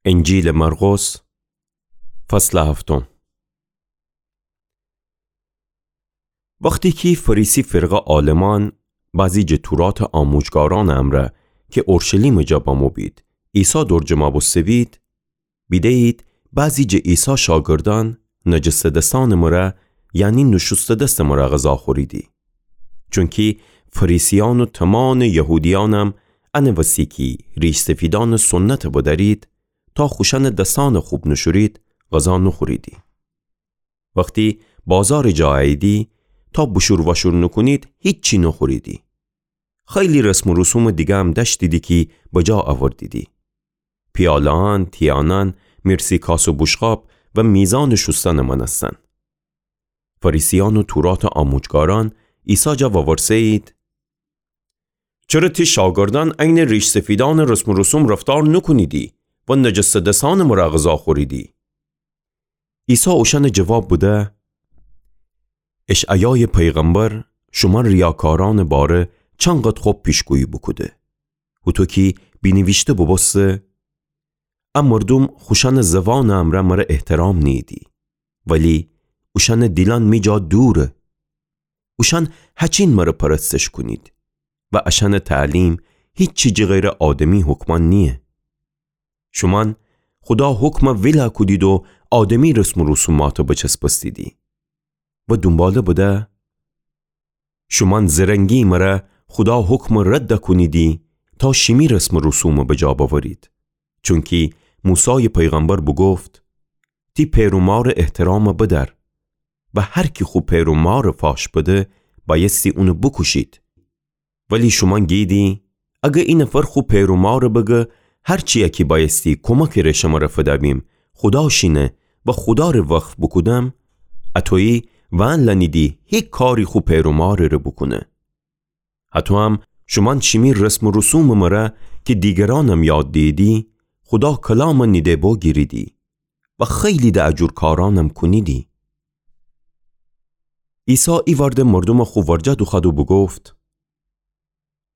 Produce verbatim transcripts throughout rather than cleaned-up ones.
انجیلٚ مرقس، فصلٚ هفتم. وختی کی فریسی فرقه عالمأن بعضی جٚه توراتٚ آموجگارأنٚ امرأ کی اورشلیمٚ جا بمو بید، عیسی دور جمع بوسته بید، بیده‌یید بعضی جٚه عیسی شاگردأن نجسه دسأنٚ مره، یعنی نوشوسته دستٚ مره غذا خوریدی. چونکی فریسیأن و تومامٚ یهودیأنم انٚ وسی کی ریش‌سفیدأنٚ سنتٚ بدأرید، تا خوشأنٚ دسأنٚ خوب نوشورید، غذا نوخوریدی. وختی بازارٚ جا اییدی، تا بوشور واشور نوکونید، هیچی نوخوریدی. خیلی رسم و رسومٚ دیگرم دأشتیدی کی بجا اوردیدی. پیاله‌أن، تیأنأن، میرسی کاس و بوشقاب و میزانٚ شوستنٚ مأنستن. فریسیأن و توراتٚ آموجگارأن عیسی جا وورسه‌یید: چره تی شاگردأن عینٚ ریش‌سفیدأنٚ رسم و رسوم رفتار نوکونیدی و نجسه دسأنٚ مره غذا خوریدی؟ عیسی اوشأنٚ جواب بده: اشعیایٚ پیغمبر شومأن ریاکارأنٚ باره چنقدر خب پیشگویی بوکوده. هوطو کی بینیویشته بوبوسته: ا مردوم خوشأنٚ زوانٚ امرأ مره احترام نیییدی، ولی اوشأنٚ دیلأن می جا دوره. اوشأن هچین مره پرستش کونید و اشأنٚ تعلیم هیچی جٚه غیرٚ آدمی حکمأن نییه. شومأن خودا حکم ویلا کودید و آدمی رسم و رسومأتٚ بچسبستیدی. و دونباله بده: شومأن زرنگی مره خودا حکم رد کونیدی تا شیمی رسم و رسوم بجا بأورید. چونکی موسایٚ پیغمبر بوگفت: تی پئر و مارٚ احترام بدأر و هر کی خو پئر و مار فاش بده، بأیستی اون بوکوشید. ولی شومأن گیدی، اگر ای نفر خو پئر و مار بگه هر چیی کی بأیستی کمکٚ ره شمره فدأبیم، خودا شینه و خودا ره وقف بوکودم، اطویی وأن لأنیدی هیکاری خو پئر و مارٚ ره بوکونه. هطویم شومأن شیمی رسم و رسومٚ مره کی دیگرأنم یاد دییدی، خودا کلام نیده بوگیریدی و خیلی د ا جور کارأنم کونیدی. عیسی ایوأرده مردوم خو ورجه دوخوأد و بوگفت: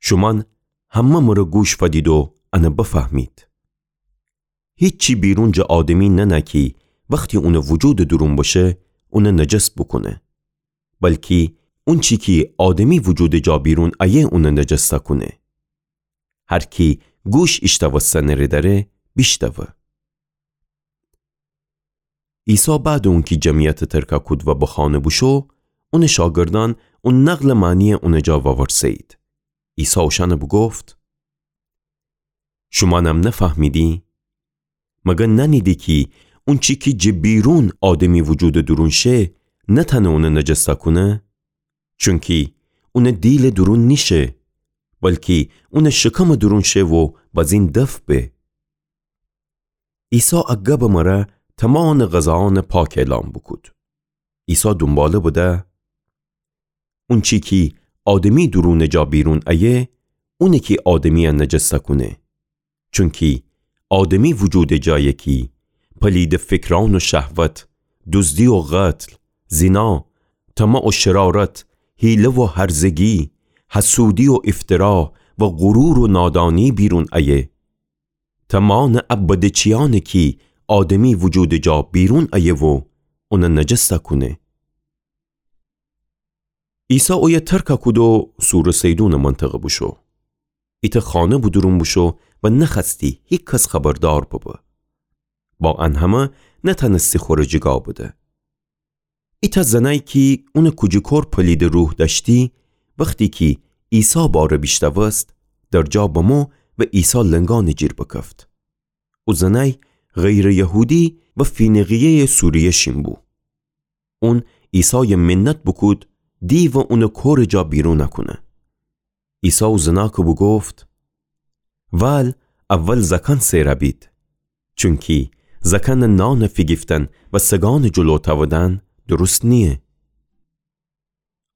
شومأن همه مره گوش فدید و ان بفهمید. هیچی بیرون جٚه آدمی ننه کی وختی اونٚ وجودٚ دورون بشه، اون نجس بوکونه. بلکی اونچی کی آدمی وجودٚ جا بیرون ایه اون نجس کونه. هر کی گوش ایشتوستنٚ ره دأره، بیشتوه. عیسی بعدٚ اونکی جمعیت ترکه کود و به خانه بوشو، اونٚ شاگردأن او نقلٚ معنی اونٚ جا وورسه‌یید. عیسی اوشأن بوگفت: شومأنم نفهمیدی؟ مگر نأنیدی کی اونچی کی جٚه بیرون آدمی وجودٚ دورون شه، نتأنه اون نجس کونه؟ چونکی اونٚ دیلٚ دورون نیشه، بلکی اونٚ شکمٚ دورون شه و بزین دفع به. عیسی ا گبٚ مره تومامٚ غذایأن پاک اعلام بوکود. عیسی دونباله بده: اونچی کی آدمی دورونٚ جا بیرون ایه، اونه کی آدمیی نجس کونه. چونکی آدمی وجودٚ جایه کی پلیدٚ فکرأن و شهوت، دوزدی و قتل، زنا، طمع و شرارت، حیله و هرزگی، حسودی و افترا و غرور و نادانی بیرون ایه. تومامٚ ا بدٚ چیأنه کی آدمی وجودٚ جا بیرون ایه و اون نجس کونه. عیسی اویه ترکه کود و صورٚ صیدونٚ منطقه بوشو. ایتأ خانه به دورون بوشو و نخوأستی هیکس خبردار ببه. با ان همه نتأنستی خوره جیگا بده. ایتأ زنأی کی اونٚ کوجی کور پلیدٚ روح دأشتی، وختی کی عیسی باره بیشتوست، در جا بمو و عیسی لنگأنٚ جیر بکفت. او زنأی غیرٚ یهودی و فینیقیه‌یٚ سوریه شین بو. اون عیسای منت بوکود، دیو اونٚ کورٚ جا بیرون کونه. عیسی او زنأکٚ بوگفت: ول اول زأکأن سئرَ بید، چونکی زأکأنٚ نانٚ فیگیفتن و سگأنٚ جلو تأودن درست نییه.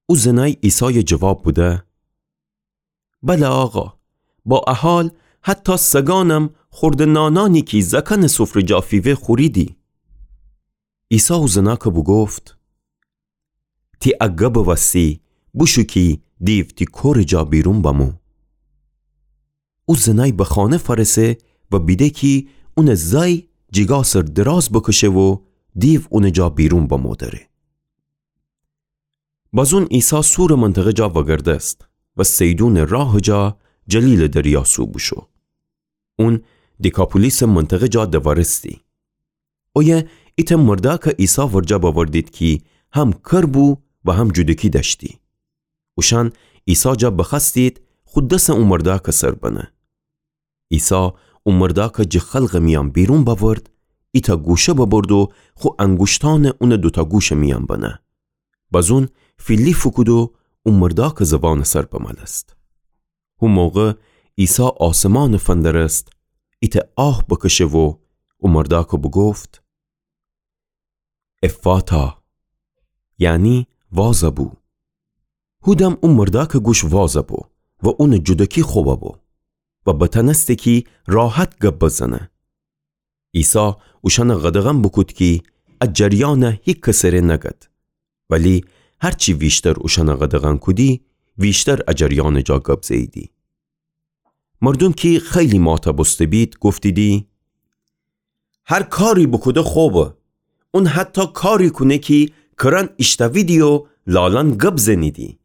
او زنأی عیسای جواب بده: بله آقا، با ا حال حتی سگأنم خوردٚ نانأنی کی زأکأنٚ سفره جا فیوه خوریدی. عیسی او زنأکٚ بوگفت: تی ا گبٚ وستی بوشو کی دیو تی کورٚ جا بیرون بمو. او زنأی به خانه فأرسه و بیده کی اونٚ زأی جیگا سر دراز بکشه و دیو اونٚ جا بیرون بمودره. بازون عیسی سورٚ منطقه جا وگردست و صیدونٚ راهٚ جا جلیلٚ دریا سو بوشو. اون دیکاپولیسٚ منطقه جا دوارستی. اویه ایتأ مردأکٚ عیسی ورجه بأوردید کی هم کر بو و هم جودکی دأشتی. اوشأن عیسی جا بخوأستید خو دسٚ او مردأکٚ سر بنه. عیسی او مردأکٚ جٚه خلقٚ میأن بیرون بأورد، ایتأ گوشه ببرد و خو انگوشتأنٚ اونٚ دوتأ گوشٚ میأن بنه. بازون فیلی فوکود و او مردأکٚ زبانٚ سر بمألست. هو موقع عیسی آسمانٚ فندرست، ایتأ آه بکشه و او مردأکٚ بوگفت: افاتا، یعنی وازَ بو. هو دم او مردأکٚ گوش وازَ بو و اونٚ جودکی خو ببو و بتأنسته کی راحت گب بزنه. عیسی اوشأنَ قدغن بوکود کی ا جریأنَ هیکسٚ ره نگد. ولی هرچی ویشتر اوشأنَ قدغن کودی، ویشتر ا جریأنٚ جا گب زهییدی. مردوم کی خیلی ماتا بوسته‌بید، گفتیدی: هر کاری بوکوده خوبه. اون حتی کاری کونه کی کرأن ایشتأویدی و لالأن گب زنیدی.